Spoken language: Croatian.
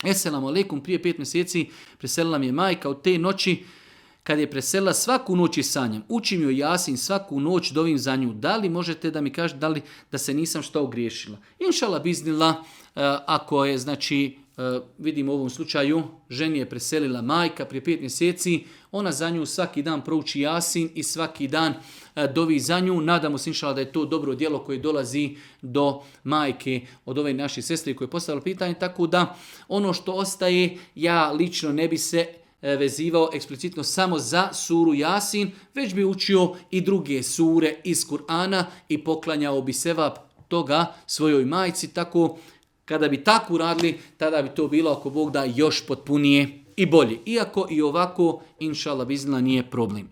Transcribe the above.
Esselamu alaikum, prije 5 mjeseci preselila mi je majka. Od te noći kad je preselila svaku noć i sanjam. Učim joj Jasin svaku noć, dovim za nju. Da li možete da mi kažete da li da se nisam što ogriješila? Inšala biznila, ako je, znači, vidimo u ovom slučaju, ženi je preselila majka prije 5 mjeseci, ona za nju svaki dan prouči Jasin i svaki dan dovi za nju. Nadamo se inšala da je to dobro djelo koje dolazi do majke od ove naše sestre koje je postavila pitanje, tako da ono što ostaje, ja lično ne bi se vezivao eksplicitno samo za suru Jasin, već bi učio i druge sure iz Kur'ana i poklanjao bi sevap toga svojoj majci, tako kada bi tako uradili, tada bi to bilo, ako Bog da, još potpunije i bolje. Iako i ovako, inšallah biznila, nije problem.